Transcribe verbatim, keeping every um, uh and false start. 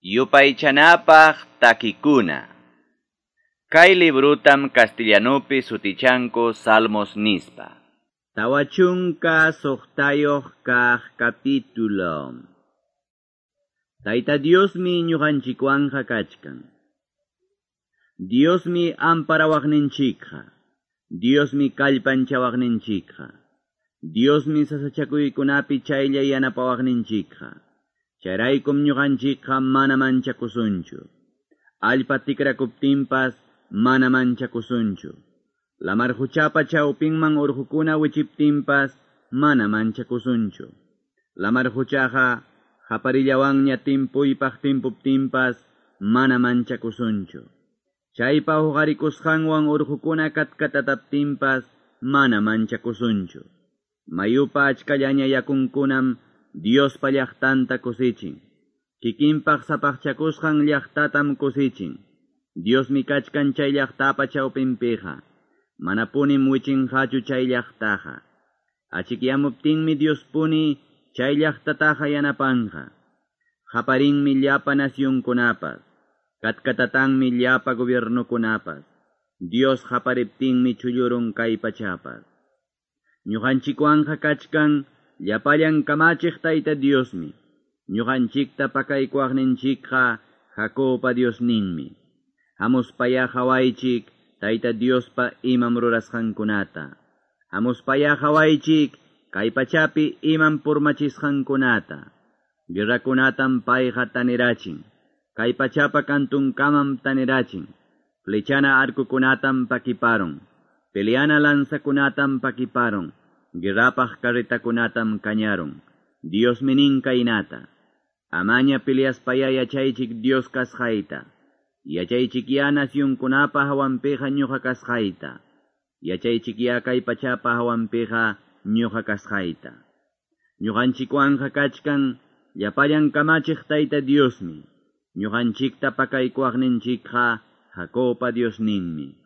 Yupaychanapaq takikuna. Kay librutam castellanupi sutichanku Salmos nispa. Tawa chunka suqtayuq kaq capítulo. Tayta Diosmi ñuqanchikwanqa kachkan. Diosmi amparawaqninchikqa. Diosmi kallpanchawaqninchikqa. Diosmi sasachakuykunapi chaylla yanapawaqninchikqa. Chayraykum ñuqanchikqa mana manchakusunchu. Allpa tikrakuptinpas mana manchakusunchu. Lamar quchapa chawpinman urqukuna wichiptinpas mana manchakusunchu. Lamar quchaqa qaparillawanña timpuypaq timpuptinpas mana manchakusunchu. Chaypa huqarikusqanwan urqukuna katkatataptinpas mana manchakusunchu. Mayupa achkallaña yakunkunam Diospa llaqtanta kusichin. Kikinpaq sapaqchakusqan llaqtatam kusichin. Diosmi kachkan chay llaqtapa chawpinpiqa. Manapunim wichinqachu chay llaqtaqa. Achikyamuptinmi Diospuni chay llaqtataqa yanapanqa. Qaparinmi llapa nacionkunapas. Katkatatanmi llapa gobiernokunapas. Dios qapariptinmi chullurun kay pachapas. Ñuqanchikwanqa kachkan llapallan kamachiq Tayta Diosmi. Ñuqanchikta pakaykuwaqninchikqa Jacobpa Diosninmi. Hamuspaya qawaychik Tayta Diospa imam rurasqankunata. Hamuspaya qawaychik kay pachapi imam purmachisqankunata. Guerrakunatam payqa tanirachin. Kay pachapa kantunkamam tanirachin. Flechana arkukunatam pakiparun. Peleana lanzakunatam pakiparun. Guerrapaq carretakunatam kañarun. Diosmi nin kaynata. Amaña peleaspaya yachaychik Dios kasqayta. Yachaychikyá nacionkunapa hawanpiqa ñuqa kasqayta. Yachaychikyá kay pachapa hawanpiqa ñuqa kasqayta. Ñuqanchikwanqa kachkan llapallan kamachiq Tayta Diosmi. Ñuqanchikta pakaykuwaqninchikqa Jacobpa Diosninmi.